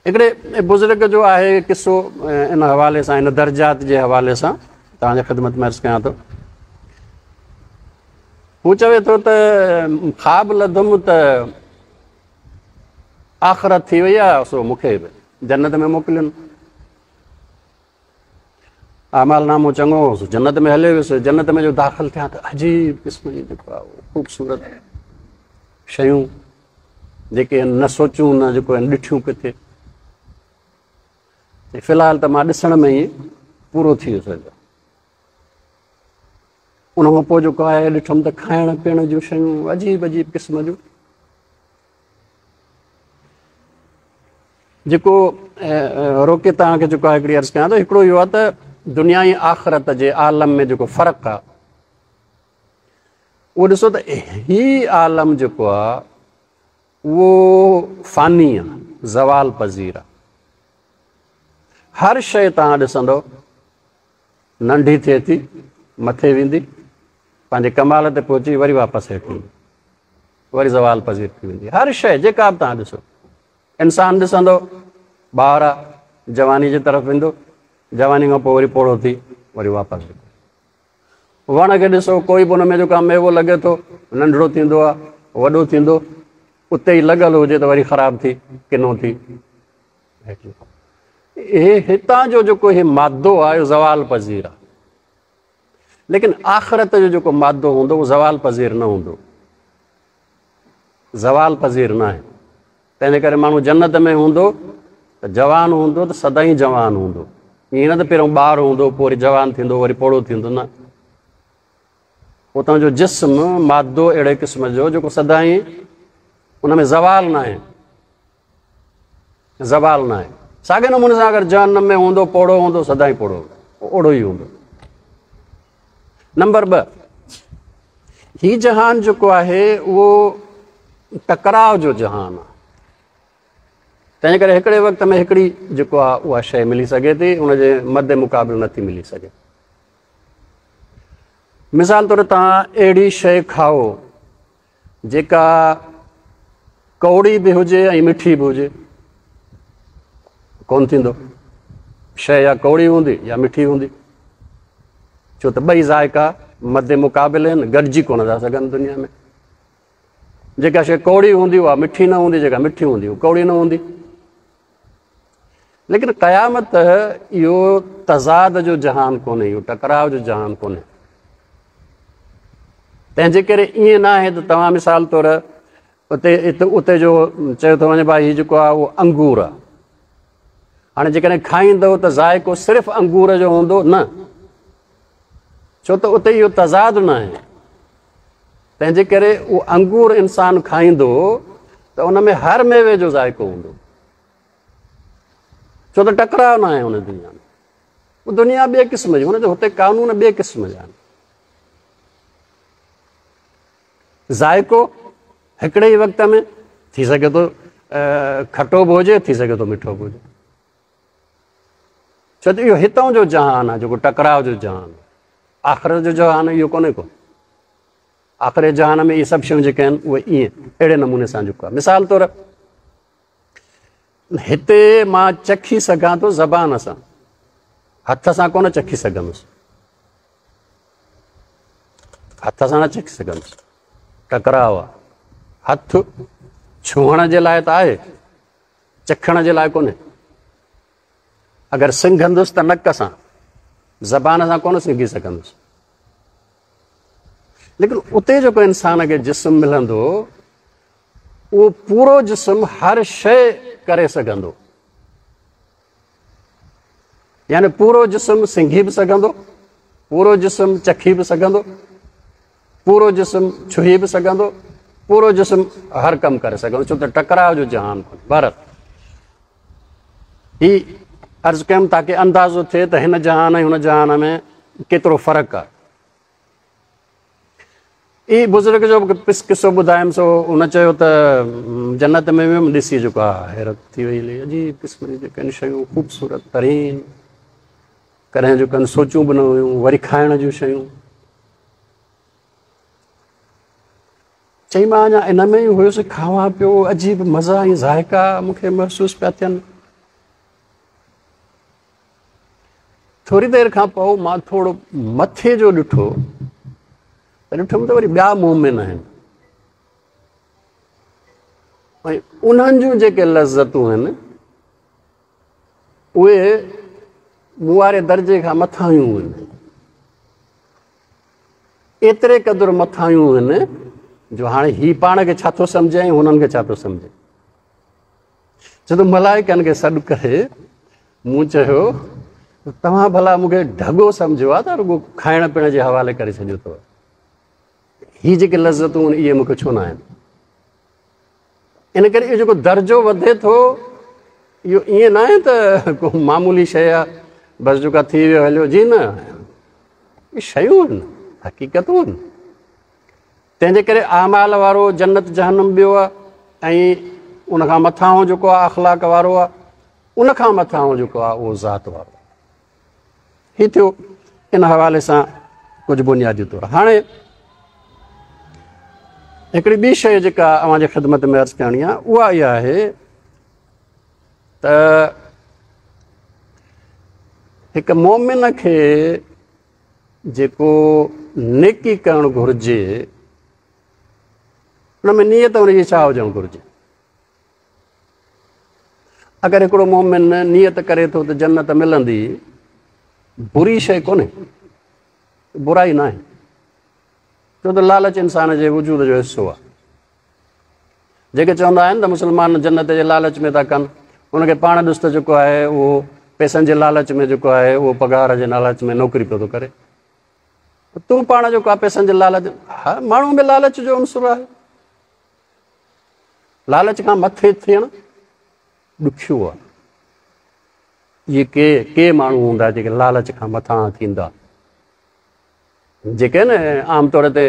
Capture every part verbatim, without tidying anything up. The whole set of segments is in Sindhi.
هڪڙي بزرگ جو آهي قصو ان حوالي سان، ان درجات جي حوالي سان توهان جي خدمت ۾ عرض ڪيان ٿو. هو چوي ٿو ته خواب لڌم ته آخرت ٿي وئي آهي، سو مون کي به جنت ۾ موڪلين. اعمال نامو چڱو هو، سو جنت ۾ هليو ويس. جنت ۾ جو داخل ٿيا ته عجيب قسم جي جيڪو آهي خوبصورت شيون جيڪي نه سوچون نه جيڪو آهن ڏٺيون ڪٿي. في الحال ته مان ڏسڻ ۾ ئي پورو ٿي ويس. ان کان پوءِ جيڪو آهي ڏٺم ته کائڻ پيئڻ جون شيون عجيب عجيب قسم جون. جيڪو روڪي توهان کي جيڪو آهي هڪڙي عرض ڪيان ٿو، هڪڙو اهو آهي ته دنيا ۽ آخرت جي عالم ۾ جيڪو فرق آهي اهو ڏسو ته هي عالم جيڪو آهي اهو فاني آهي، زوال پذير آهي. هر شيءِ توهان ڏسندو ننڍي ٿئي ٿي، مٿي ويندي، پنهنجي ڪمال تي پهچي وري واپس هيٺ ايندي، وري زوال پذير ٿي ويندي. هر شيءِ جيڪا به توهان ڏسو، انسان ڏسندو ٻار آهي، جواني جي طرف ويندو، جواني کان پوءِ وري پوڙهو ٿي وري واپس ويندو. وڻ کي ڏسو، ڪوئي به هن ۾ جيڪو آهي ميوو لڳي ٿو، ننڍڙو ٿيندو آهي، وڏو ٿيندو، اتي ئي لڳل هجي ته وري خراب ٿي ڪنو ٿي. هي هتان جو جيڪو هي مادو آهي اهو زوال پذير آهي، ليڪن آخرت جو جيڪو مادو هوندو اهو زوال پذير نه هوندو، زوال پذير نه آهي. تنهن جي ڪري ماڻهو جنت ۾ هوندو ته جوان هوندو ته سدائين جوان هوندو. ائين نه ته پهريون ٻار هوندو پوءِ وري جوان ٿيندو وري پوڙهو ٿيندو، نه. اتان جو جسم مادو اهڙي قسم جو جيڪو سدائين ان ۾ زوال نه آهي، زوال نه آهي. ساڳي نموني سان اگر جهنم ۾ هوندو پوڙهو هوندو، سدائين پوڙهو هوندو، اوڙو ئي هوندو. نمبر ٻه، هي جهان جيڪو آهي اهو ٽڪراءُ جو جهان آهي. تنهن ڪري هڪڙي وقت ۾ هڪڙي جيڪو آهي اها شيءِ ملي سگهي ٿي، ان جي مد مقابل نٿي ملي سگهي. مثال طور توهان اهڙي شيءِ کائو جيڪا ڪوڙي به هجي ۽ مٺي به هجي، ڪونه ٿيندو. شيءِ يا ڪوڙي هوندي يا مٺي هوندي، ڇو ته ٻئي ذائقا مد مقابل آهن، گڏجي ڪونه ٿا سگهن دنيا ۾. جيڪا شيءِ ڪوڙي هوندي اها مٺي نه هوندي، جيڪا مٺي هوندي اها ڪوڙي نه هوندي. ليڪن قيامت اهو تضاد جو جهان ڪونهي، اهو ٽڪراءُ جو جهان ڪونهي. تنهن جي ڪري ائين نه آهي ته توهان مثال طور اتي اتي جو چيو ٿو وڃي ڀائي هيءُ جيڪو آهي اهو انگور آهي. هاڻي جيڪڏهن کائيندؤ ته ذائقو صرف انگور جو هوندو نه، ڇو ته اتي اهو تضاد نه آهي. تنهن جي ڪري اهو انگور انسان کائيندو ته ان ۾ هر ميوي جو ذائقو هوندو، ڇو ته ٽڪراءُ نه آهي هن دنيا ۾. اها دنيا ٻئي قسم جي، هن جو هتي قانون ٻئي قسم جا آهن. ذائقو هڪڙي ئي وقت ۾ ٿي سگهي ٿو کٽو به هجي، ٿي سگهي ٿو مٺو به هجي، ڇو ته اهو هتان جو جهان آهي جيڪو ٽڪراءُ جو جهان آهي. آخرت جو جهان اهو ڪونهي ڪو. آخر جهان ۾ اهي سڀ شيون جيڪي آهن اهي ائين اهڙي نموني سان جيڪو آهي. مثال طور هتي مان چکي سگهان ٿو زبان سان، هٿ سان ڪونه چکي سگهندس، هٿ سان نه چکي سگهندس، ٽڪراءُ آهي. هٿ ڇهڻ جي لاءِ ته آهي، چکڻ جي لاءِ ڪونهي. اگر سنگهندس ته نڪ سان، زبان سان ڪونه سنگهي سگهندس. ليڪن اتي جيڪو انسان کي جسم ملندو اهو پورو جسم هر شيءِ ڪري سگهندو، يعني پورو جسم سنگهي به سگهندو، پورو جسم چکي به سگهندو، پورو جسم ڇهي به سگهندو، پورو جسم هر ڪم ڪري سگهندو، ڇو ته ٽڪراءُ جو جهان ڪونهي. ڀارت هي عرض ڪيم تاڪه اندازو ٿئي ته هن جهان ۽ هن جهان ۾ ڪيترو فرق آهي. اي بزرگ جو قصو ٻڌايم، سو هن چيو ته جنت ۾ ويم، ڏسي جيڪو آهي حيرت ٿي وئي، عجيب قسم جون جيڪي آهن شيون خوبصورت ترين، ڪڏهن جيڪو آهن سوچون به نه هيون، وري کائڻ جون شيون. چئي مان اڃا ان ۾ ئي هيس، کاوان پيو، عجيب مزا ۽ ذائقا مون کي محسوس پيا ٿين. ٿوري دير کان پوءِ مان ٿورو مٿي جو ڏٺو ته ڏٺم ته وري ٻيا مومن آهن ۽ انهن جون جيڪي لذتون آهن اهي مون واري درجي کان مٿايون آهن، ايتري قدر مٿايون آهن جو هاڻي هي پاڻ کي ڇا ٿو سمجهي ۽ هنن کي ڇا ٿو سمجهي. ڇو ته ملائڪن کي سڏ ڪري مون چيو توهان ڀلا مون کي ڍڳو سمجهيو آهي ته رڳو کائڻ پيئڻ جي حوالي ڪري ڇڏيو اٿو، هي جيڪي لذتون آهن اهي مون کي ڇو نه آهن؟ ان ڪري اهو جيڪو درجو وڌي ٿو اهو ائين نه آهي ته ڪو معمولي شيءِ آهي بس جيڪا ٿي ويو هليو، جي نه، اهي شيون آهن، حقيقتون آهن. تنهن جي ڪري اعمال وارو جنت جهنم ٻيو آهي ۽ ان کان مٿان جيڪو آهي اخلاق وارو آهي، ان کان مٿان جيڪو آهي اهو ذات وارو آهي. هي ٿيو ان حوالي سان ڪجهه بنيادي طور. هاڻي هڪڙي ٻي شيءِ جيڪا اوهان جي خدمت ۾ عرض ڪرڻي آهي اها اها آهي ته هڪ مومن کي جيڪو نيڪي ڪرڻ گهرجي ان ۾ نيت هن جي ڇا هجڻ گهرجي؟ اگر هڪڙو مومن نيت ڪري ٿو ته جنت ملندي، بري شيءِ ڪونهي، برائي نه آهي، ڇو ته لالچ انسان جي وجود جو حصو آهي. جيڪي چوندا آهن ته مسلمان جنت جي لالچ ۾ ٿا ڪن، هن کي پاڻ ڏس ته جيڪو آهي اهو پئسن جي لالچ ۾ جيڪو آهي اهو پگهار جي لالچ ۾ نوڪري پيو ٿو ڪري، تون پاڻ جيڪو آهي پئسن جي لالچ، ها ماڻهو ۾ لالچ جو عنصر آهي. لالچ کان مٿي ٿيڻ ڏکيو آهي. اهي ڪي ڪي ماڻهو هوندا جيڪي لالچ کان مٿان ٿيندا، جيڪي نه عام طور تي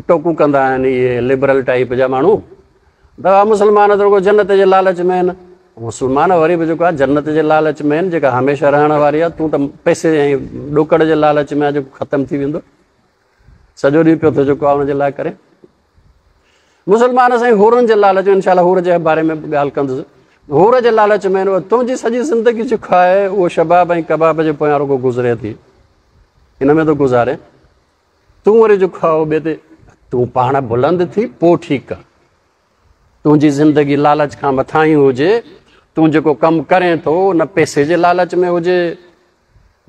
ٽوڪون ڪندا آهن اهي لبرل ٽائيپ جا ماڻهو، ته مسلمان ته رڳو جنت جي لالچ ۾ آهن. مسلمان وري به جيڪو آهي جنت جي لالچ ۾ آهن جيڪا هميشه رهڻ واري آهي، تون ته پئسي ۽ ڏوڪڙ جي لالچ ۾ آهي جيڪو ختم ٿي ويندو، سڄو ڏينهن پيو ٿو جيڪو آهي هن جي لاءِ ڪري. مسلمان سائين حورن جي لالچ ۾، انشا الله حور جي باري ۾ به ڳالهه ڪندس، حور جي لالچ ۾ تنهنجي سڄي زندگي جيڪو آهي اهو شباب ۽ ڪباب جي پويان رڳو گذري ٿي، هن ۾ ٿو گذاري، تون وري جيڪو آهي ٻئي تي تون پاڻ بلند ٿي پوءِ ٺيڪ آهي، تنهنجي زندگي لالچ کان مٿان ئي هجي، تون جيڪو ڪم ڪرين ٿو نه پئسي جي لالچ ۾ هجي،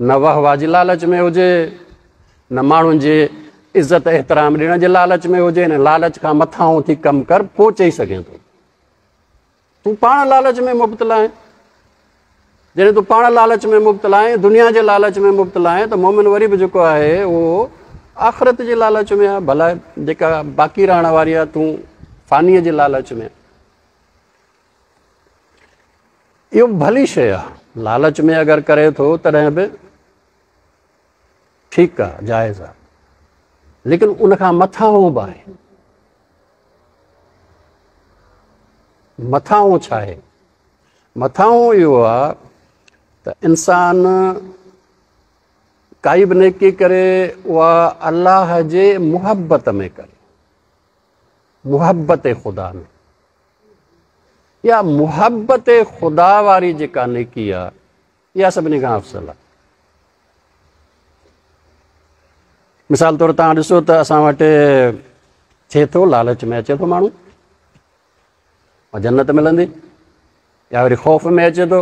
نه واهه واهه جي لالچ ۾ هجي، نه ماڻهن جي عزت احترام ڏيڻ جي لالچ ۾ هجي، نه لالچ کان مٿان ٿي ڪم ڪر پوءِ چئي سگهين ٿو. تون پاڻ لالچ ۾ مبتلا آهين، جڏهن تون پاڻ لالچ ۾ مبتلا آهين، دنيا جي لالچ ۾ مبتلا آهين، ته مومن وري به جيڪو آهي اهو آخرت جي لالچ ۾ آهي، ڀلا جيڪا باقي رهڻ واري آهي تون فانيءَ جي لالچ ۾ آهي. اهو ڀلي شيءِ آهي، لالچ ۾ اگر ڪري ٿو تڏهن به ٺيڪ آهي، جائز آهي، ليڪن ان کان مٿان به آهي. مٿان ڇا آهي؟ مٿان اهو آهي ته انسان ڪائي به نيڪي ڪري اها الله جي محبت ۾ ڪري، محبت خدا ۾، يا محبت خدا واري جيڪا نيڪي آهي اها سڀني کان افضل آهي. مثال طور توهان ڏسو ته اسان وٽ ٿئي ٿو، لالچ ۾ اچي ٿو ماڻهو جنت ملندي، يا وري خوف ۾ اچي ٿو،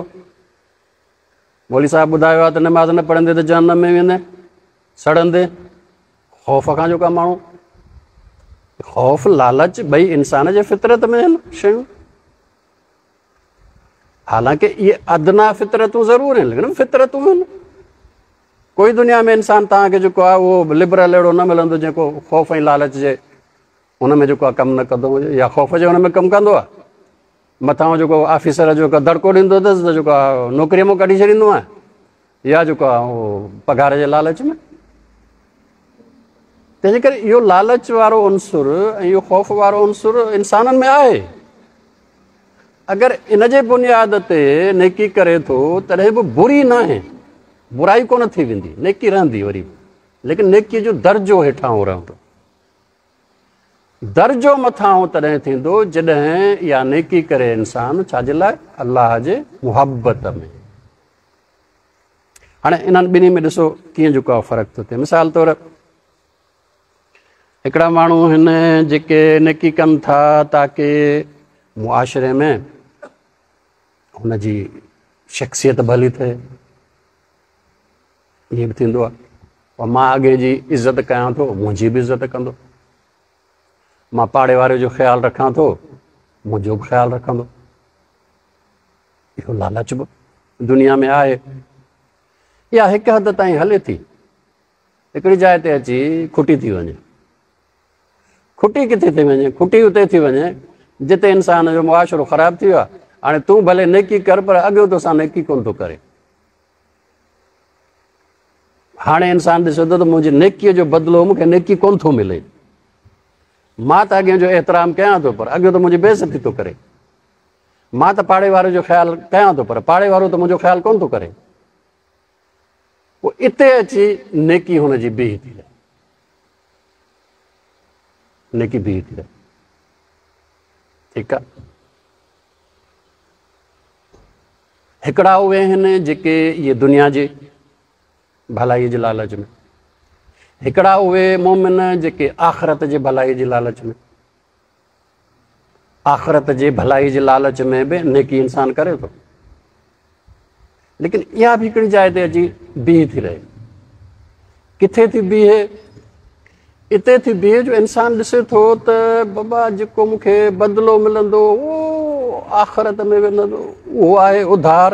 مولوي صاحب ٻڌايو آهي ته نماز نه پڙهندي ته جهنم ۾ ويندي سڙندي، خوف کان جيڪو آهي ماڻهو، خوف لالچ ٻئي انسان جي فطرت ۾ آهن شيون، حالانڪه اهي ادنا فطرتون ضرور آهن ليڪن فطرتون آهن. ڪوئي دنيا ۾ انسان توهان کي جيڪو آهي اهو لبرل اهڙو نه ملندو جيڪو خوف ۽ لالچ جي هن ۾ جيڪو آهي ڪم نه ڪندو هجي، يا خوف جي هن ۾ ڪم ڪندو آهي، مٿان جيڪو آفيسر جو دڙڪو ڏيندو اٿس ته جيڪو آهي نوڪريءَ مان ڪڍي ڇڏيندو آهي، يا جيڪو آهي اهو پگهار جي لالچ ۾. تنهن جي ڪري اهو لالچ وارو عنصر ۽ اهو خوف وارو عنصر انسانن ۾ آهي. اگر ان جي بنياد تي نيڪي ڪري ٿو تڏهن به بري نه آهي، برائي ڪونه ٿي ويندي، نيڪي رهندي وري به، ليڪن نيڪيءَ جو درجو هيٺان رهندو. درجو مٿان تڏهن ٿيندو جڏهن اها نيڪي ڪري انسان ڇا جي لاءِ؟ الله جي محبت ۾. هاڻي انهن ٻنهي ۾ ڏسو ڪيئن جيڪو آهي فرق ٿو ٿئي. مثال طور هڪڙا ماڻهو آهن جيڪي نيڪي ڪن ٿا تاڪه معاشري ۾ هن جي شخصيت ڀلي ٿئي، ائين به ٿيندو آهي. مان اڳي جي عزت ڪيان ٿو، منهنجي به عزت ڪندو. مان پاڙي واري جو خيال رکان ٿو، منهنجو به خيال رکندو. اهو لالچ به دنيا ۾ آهي. اها هڪ حد تائين هلي ٿي، هڪڙي جاءِ تي اچي کٽي ٿي وڃي. کٽي ڪٿي ٿي وڃي؟ کٽي اتي ٿي وڃي جتي انسان جو معاشرو خراب ٿي ويو آهي. هاڻي تون ڀلي نيڪي ڪر، پر اڳيون توسان نيڪي ڪونه ٿو ڪري. هاڻي انسان ڏسي ٿو ته منهنجي نيڪيءَ جو بدلو مون کي نيڪي ڪونه ٿو ملي. مان ته اڳيان جو احترام ڪيان ٿو، پر اڳيون ته منهنجي بيعزتي ٿو ڪري. مان ته پاڙي واري جو خيال ڪيان ٿو، پر پاڙي وارو ته منهنجو خيال ڪونه ٿو ڪري. پوءِ اتي اچي نيڪي هن جي بيهي ٿي رهي، نيڪي بيهي ٿي رهي. ٺيڪ آهي. هڪڙا اهي آهن جيڪي اهي دنيا جي ڀلائيءَ جي لالچ ۾، هڪڙا اهي مومن جيڪي آخرت جي ڀلائيءَ جي لالچ ۾، آخرت جي ڀلائيءَ جي لالچ ۾ به نيڪي انسان ڪري ٿو، ليڪن اها به هڪڙي جاءِ تي اچي بيهي ٿي رهي. ڪٿي ٿي بيهي؟ اتي ٿي بيهي جو انسان ڏسي ٿو ته بابا جيڪو مون کي بدلو ملندو اهو آخرت ۾ ويندو، اهو آهي اڌار.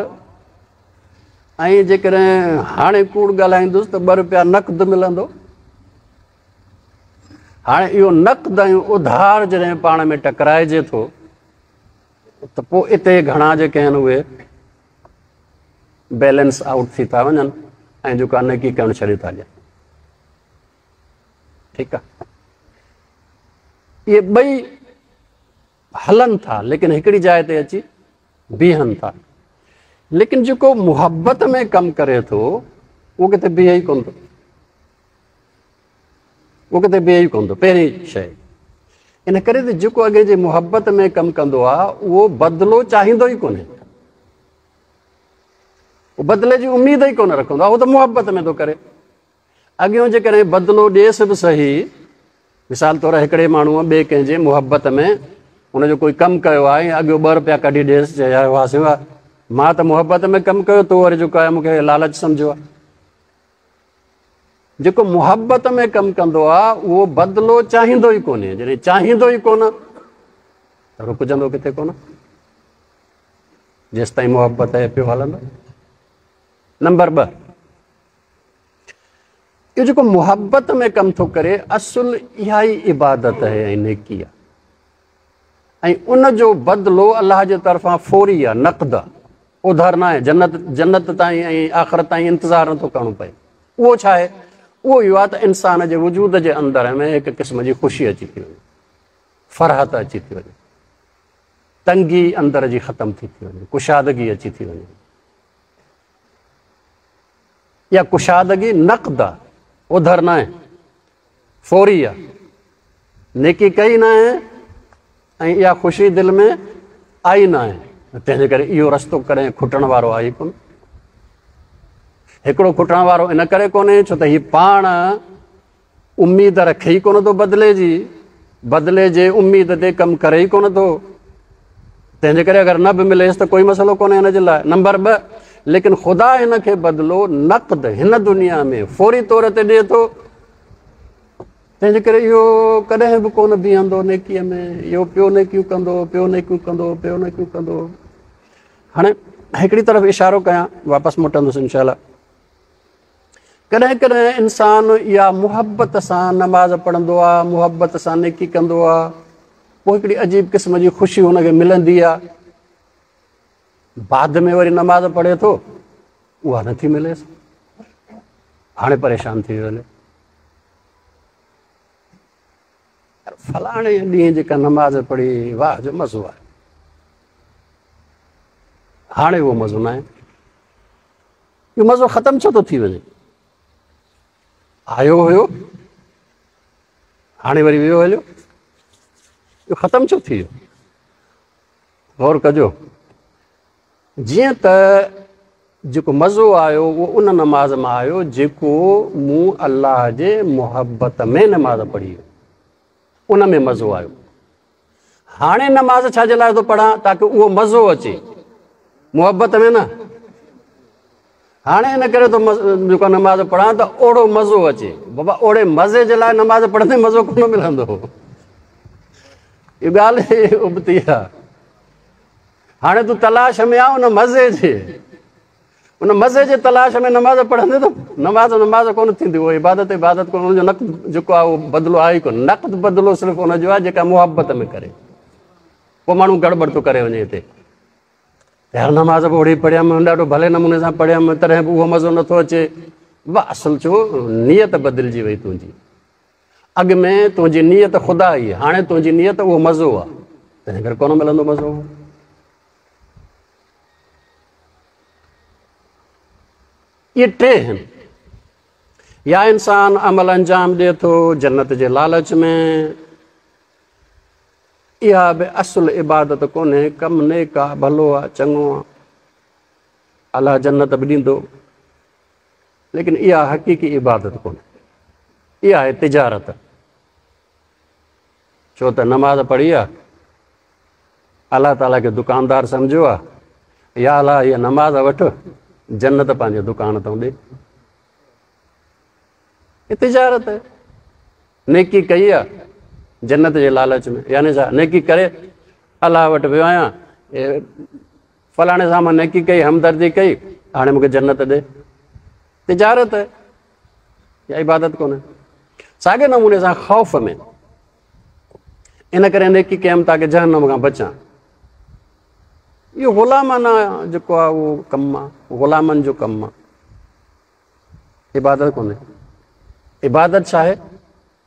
۽ جيڪڏهن هاڻي ڪوڙ ڳالهائيندس ته ٻه رپيا نقد ملندو. هاڻي اهو نقد ۽ اڌار جڏهن پاڻ ۾ ٽڪرائجي ٿو ته پوءِ اتي گهڻا جيڪي آهن اهي بيلنس آئوٽ ٿي ٿا وڃن ۽ جيڪو آهي نيڪي ڪرڻ ڇڏي ٿا ڏين. ٺيڪ آهي، اهي ٻئي هلن ٿا، ليڪن هڪڙي جاءِ تي اچي بيهن ٿا. ليڪن جيڪو محبت ۾ ڪم ڪري ٿو اهو ڪٿي بيهي ئي ڪونه ٿو، اهو ڪٿي بيهي ئي ڪونه ٿو. پهرين شيءِ ان ڪري ته جيڪو اڳي جي محبت ۾ ڪم ڪندو آهي اهو بدلو چاهيندو ئي ڪونهي، اهو بدلي جي اميد ئي ڪونه رکندو آهي، اهو ته محبت ۾ ٿو ڪري. اڳيون جيڪڏهن بدلو ڏئيس به صحيح، مثال طور هڪڙي ماڻهوءَ ٻئي ڪنهن جي محبت ۾ هن جو ڪوئي ڪم ڪيو آهي ۽ اڳيون ٻه رپيا ڪڍي ڏئيس، چئي يار واهه سي واهه، مان ته محبت ۾ ڪم ڪيو، تون وري جيڪو آهي مون کي لالچ سمجهيو آهي. جيڪو محبت ۾ ڪم ڪندو آهي اهو بدلو چاهيندو ئي ڪونهي. جڏهن چاهيندو ئي ڪونه ته رڪجندو ڪٿي ڪونه، جيس تائين محبت آهي پيو هلندو. نمبر ٻه، اهو جيڪو محبت ۾ ڪم ٿو ڪري اصل اها ئي عبادت آهي ۽ نيڪي آهي، ۽ ان جو بدلو الله جي طرفان فوري آهي، نقد آهي، اڌار نه آهي. جنت جنت تائين ۽ آخرت تائين انتظار نٿو ڪرڻو پئي. اهو ڇا آهي؟ اهو اهو آهي ته انسان جي وجود جي اندر ۾ هڪ قسم جي خوشي اچي ٿي وڃي، فرحت اچي ٿي وڃي، تنگي اندر جي ختم ٿي ٿي وڃي، ڪشادگي اچي ٿي وڃي. اها ڪشادگي نقد آهي، اڌر نه آهي، فوري آهي. نيڪي ڪئي نه آهي ۽ اها خوشي دل ۾ آئي نه آهي، تنهن جي ڪري اهو رستو ڪڏهن کٽڻ وارو آهي ڪونه. هڪڙو کٽڻ وارو ان ڪري ڪونهي ڇو ته هيءُ پاڻ اميد رکي ئي ڪونه ٿو بدلي جي، بدلي جي اميد تي ڪم ڪري ئي ڪونه ٿو، تنهن جي ڪري اگر نه به مليس ته ڪوئي مسئلو ڪونهي هن جي لاءِ. نمبر ٻه، ليڪن خدا هن کي بدلو نقد هن دنيا ۾ فوري طور تي ڏئي ٿو، تنهن جي ڪري اهو ڪڏهن به ڪونه بيهندو نيڪيءَ ۾، اهو پيو نيڪيون ڪندو، پيو نيڪيون ڪندو، پيو نيڪيون ڪندو. هاڻي هڪڙي طرف اشارو ڪيان، واپس موٽندس انشا الله. ڪڏهن ڪڏهن انسان اها محبت سان نماز پڙهندو آهي، محبت سان نيڪي ڪندو آهي، پوءِ هڪڙي عجيب قسم جي خوشي هن کي ملندي آهي. بعد ۾ وري نماز پڙهي ٿو، اها نٿي مليس، هاڻي پريشان ٿي ويو هلي. فلاڻي ڏينهن جيڪا نماز پڙهي، واهه جو مزو آهي، هاڻي اهو مزو نه آهي. اهو مزو ختم ڇو ٿو ٿي وڃي؟ آيو هيو، هاڻي وري ويو هليو، اهو ختم ڇو ٿي ويو؟ غور ڪجو. جيئن ته जेको मज़ो आयो उहो उन नमाज़ मां आयो जेको मूं अल्लाह जे मुहबत में नमाज़ पढ़ी, उन में मज़ो आयो। हाणे नमाज़ छा जे लाइ थो पढ़ां? ताकि उहो मज़ो अचे, मुहबत में न। हाणे इन करे थो जेको नमाज़ पढ़ां त ओहिड़ो मज़ो अचे। बाबा ओहिड़े मज़े जे लाइ नमाज़ पढ़ंदे मज़ो कोन मिलंदो, इहा ॻाल्हि उबती आहे। हाणे तूं तलाश में आहे उन मज़े जे, उन मज़े जे तलाश में नमाज़ पढ़ंदे त नमाज़ नमाज़ कोन थींदी, उहो इबादत इबादत कोन, उनजो नक़द जेको आहे उहो बदिलो आहे ई कोन। नक़द बदिलो सिर्फ़ु उनजो आहे जेका मुहबत में करे। पोइ माण्हू गड़बड़ थो करे वञे हिते, यार नमाज़ बि ओहिड़ी पढ़ियमि, ॾाढो भले नमूने सां पढ़ियमि, तॾहिं बि उहो मज़ो नथो अचे। वाह, असुलु छो नीयत बदिलजी वई तुंहिंजी। अॻु में तुंहिंजी नीयत ख़ुदा ई, हाणे तुंहिंजी नीयत उहो मज़ो आहे, तंहिं करे कोन मिलंदो मज़ो। इहे टे आहिनि। या इंसान अमल अंजाम ॾिए थो जन्नत जे लालच में, इहा बि असुलु इबादत कोन्हे, कमु नेक आहे, भलो आहे, चङो आहे, अलाह जन्नत बि ॾींदो, लेकिन इहा हक़ीक़ी इबादत कोन्हे, इहा आहे तिजारत। छो त नमाज़ पढ़ी आहे, अलाह ताला खे दुकानदार सम्झो आहे, या अलाह इहा नमाज़ वठि, जन्नत पंहिंजे दुकान तां ॾे। तिजारत आहे। नेकी कई आहे जन्नत जे लालच में, यानी छा नेकी करे अलाह वटि वियो आहियां, फलाणे सां मां नेकी कई, हमदर्दी कई, हाणे मूंखे जन्नत ॾे। तिजारत आहे, या इबादत कोन्हे। साॻे नमूने सां ख़ौफ़ में, इन करे नेकी कयमि ताकि जहन्नम खां बचां। इहो ग़ुलामाना जेको आहे उहो कमु आहे, ग़ुलामनि जो कमु आहे, इबादत कोन्हे। इबादत छा आहे?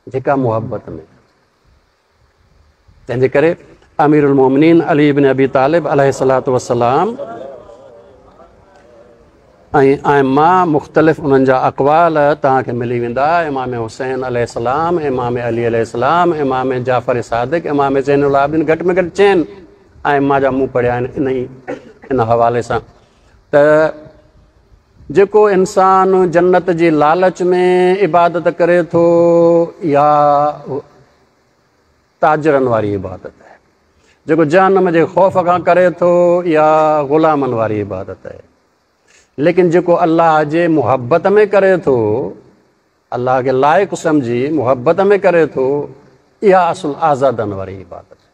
जेका मुहबत में। तंहिंजे करे अमीरुल मोमिनीन अली इब्न अबी तालिब अलैहिस्सलातु वस्सलाम ऐं आइमा मुख़्तलिफ़ उन्हनि जा अक़वाल तव्हांखे मिली वेंदा। इमाम हुसैन अलैहिस्सलाम, इमाम अली अलैहिस्सलाम, इमाम जाफ़र सादिक, इमाम ज़ैनुल आबिदीन, घटि में घटि चइनि आइमा जा मूं पढ़िया आहिनि इन ई इन हवाले सां। त जेको इंसान जन्नत जी लालच में इबादत करे थो या ताजरनि वारी इबादत आहे, जेको जहन्नम जे ख़ौफ़ खां करे थो या ग़ुलामनि वारी इबादत आहे, लेकिन जेको अल्लाह जे मुहबत में करे थो, अल्लाह खे लाइक़ सम्झी मुहबत में करे थो, इहा असुलु आज़ादनि वारी इबादत आहे।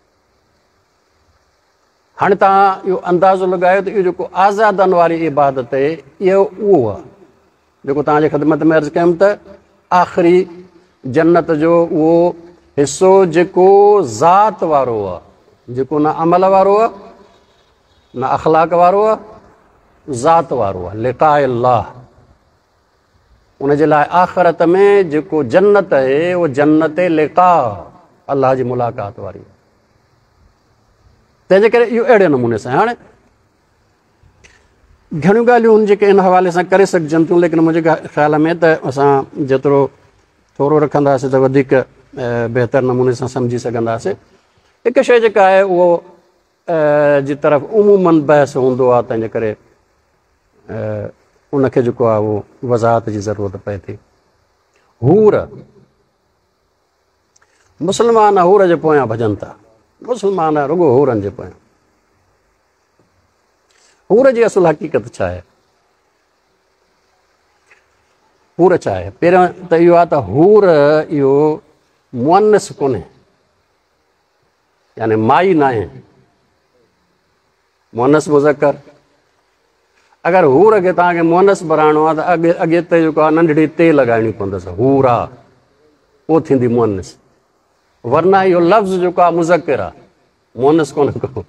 हाणे तव्हां इहो अंदाज़ो लॻायो त इहो जेको आज़ादनि वारी इबादत आहे इहो उहो आहे जेको तव्हांजे ख़िदमत में अर्ज़ु कयमि त आख़िरी जन्नत जो उहो हिसो जेको ज़ात वारो आहे, जेको न अमल वारो आहे न अख़लाक वारो आहे, ज़ात वारो आहे, लिक़ा अल्लाह। उन जे लाइ आख़िरत में जेको जन्नत आहे उहो जन्नत लिक़ा, अल्लाह जी मुलाक़ात वारी आहे। तंहिंजे करे इहो अहिड़े नमूने सां। हाणे घणियूं ॻाल्हियूं आहिनि जेके इन हवाले सां करे सघिजनि थियूं, लेकिन मुंहिंजे ख़्याल में त असां जेतिरो थोरो रखंदासीं त वधीक बहितर नमूने सां सम्झी सघंदासीं। हिकु शइ जेका आहे उहो जी तरफ़ उमूमन बहस हूंदो आहे, तंहिंजे करे उनखे जेको आहे उहो वज़ाहत जी ज़रूरत पए थी। हूर, मुस्लमान हूर जे पोयां भॼनि था, मुस्लमान रुगो हूरनि जे पोयां। हूर जी असुलु हक़ीक़त छा आहे? हूर छा आहे? पहिरियों त इहो आहे त हूर इहो मुअन्नस कोन्हे, यानी माई न आहे, मुअन्नस मुज़क्कर। अगरि हूर खे तव्हांखे मुअन्नस बणाइणो आहे त अॻे अॻे ते जेको आहे नंढड़ी ते लॻाइणी पवंदसि, हूरा, पोइ थींदी मुअन्नस। वरना इहो लफ़्ज़ जेको आहे मुज़क्किर आहे, मुअन्नस कोन्हे को।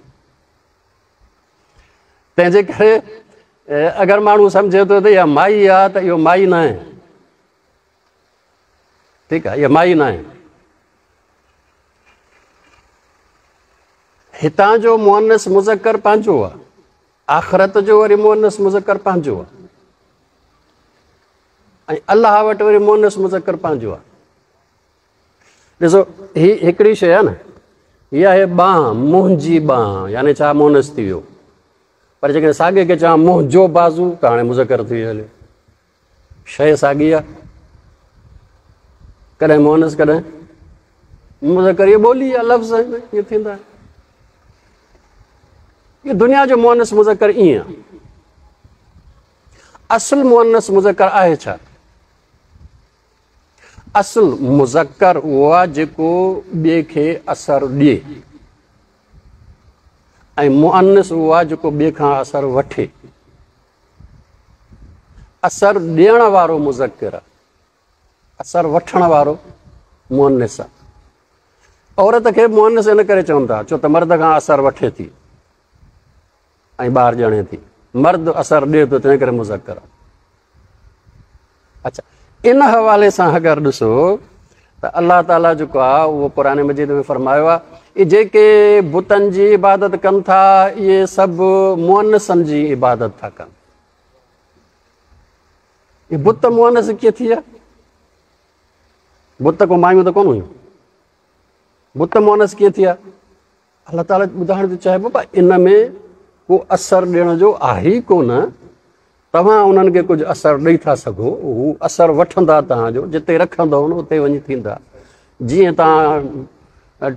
तंहिंजे करे अगरि माण्हू सम्झे थो त इहा माई आहे त इहो माई न आहे, ठीकु आहे, इहा माई न आहे। हितां जो मुअन्नस मुज़क्कर पंहिंजो आहे, आख़िरत जो वरी मुअन्नस मुज़क्कर पंहिंजो आहे, ऐं अलाह वटि वरी मुअन्नस मुज़क्कर पंहिंजो आहे। ॾिसो, हीअ हिकिड़ी शइ आहे न, हीअ आहे बांह, मुंहिंजी बांह, यानी छा मुअन्नस थी वियो। پر جيڪڏهن ساڳي کي چوان منهنجو بازو ته هاڻي مذڪر ٿي ويو هليو. شيء ساڳي آهي، ڪڏهن مؤنث ڪڏهن مذڪر. اها ٻولي آهي، لفظ آهن، ائين ٿيندا آهن. اهو دنيا جو مؤنث مذڪر ائين آهي. اصل مؤنث مذڪر آهي ڇا؟ اصل مذڪر اهو آهي جيڪو ٻئي کي اثر ڏئي، ۽ مؤنث اهو آهي جيڪو ٻئي کان اثر وٺي. اثر ڏيڻ وارو مذڪر آهي، اثر وٺڻ وارو مؤنث آهي. عورت کي مؤنث ان ڪري چون ٿا ڇو ته مرد کان اثر وٺي ٿي ۽ ٻار ڄڻي ٿي. مرد اثر ڏئي ٿو، تنهن ڪري مذڪر آهي. اڇا، ان حوالي سان اگر ڏسو ته الله تعاليٰ جيڪو آهي اهو قرآن مجيد ۾ فرمايو آهي، اهي جيڪي بتن جي عبادت ڪن ٿا اهي سڀ مؤنثن جي عبادت ٿا ڪن. اهي بت مؤنث ڪيئن ٿي ويا؟ بت ڪو مايون ته ڪونه هيون، بت مؤنث ڪيئن ٿي ويا؟ الله تعاليٰ ٻڌائڻ ٿو چاهي بابا ان ۾ ڪو اثر ڏيڻ جو آهي ئي ڪونه. توهان انهن کي ڪجهه اثر ڏيئي ٿا سگهو، هو اثر وٺندا توهان جو، جتي رکندؤ نه اتي وڃي ٿيندا. جيئن توهان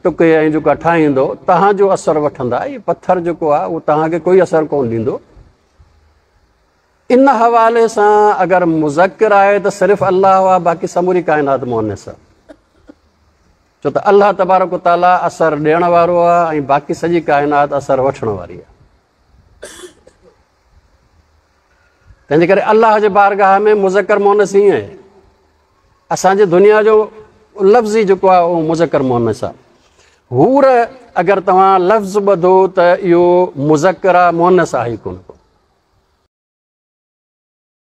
ٽڪي ۽ جيڪا ٺاهيندو توهان جو اثر وٺندا. هي پٿر جيڪو آهي اهو توهان کي ڪوئي اثر ڪونه ڏيندو. ان حوالي سان اگر مذڪر آهي ته صرف الله آهي، باقي سموري ڪائنات مؤنث آهي. ڇو ته الله تبارڪ وتعاليٰ اثر ڏيڻ وارو آهي ۽ باقي سڄي ڪائنات اثر وٺڻ واري آهي. تنهنجي ڪري الله جي بارگاهه ۾ مذڪر مؤنث ائين آهي. اسان جي دنيا جو لفظ ئي جيڪو آهي اهو مذڪر مؤنث آهي. حور اگر توهان لفظ ٻڌو ته اهو مذڪر آهي، مؤنث آهي ئي ڪونه.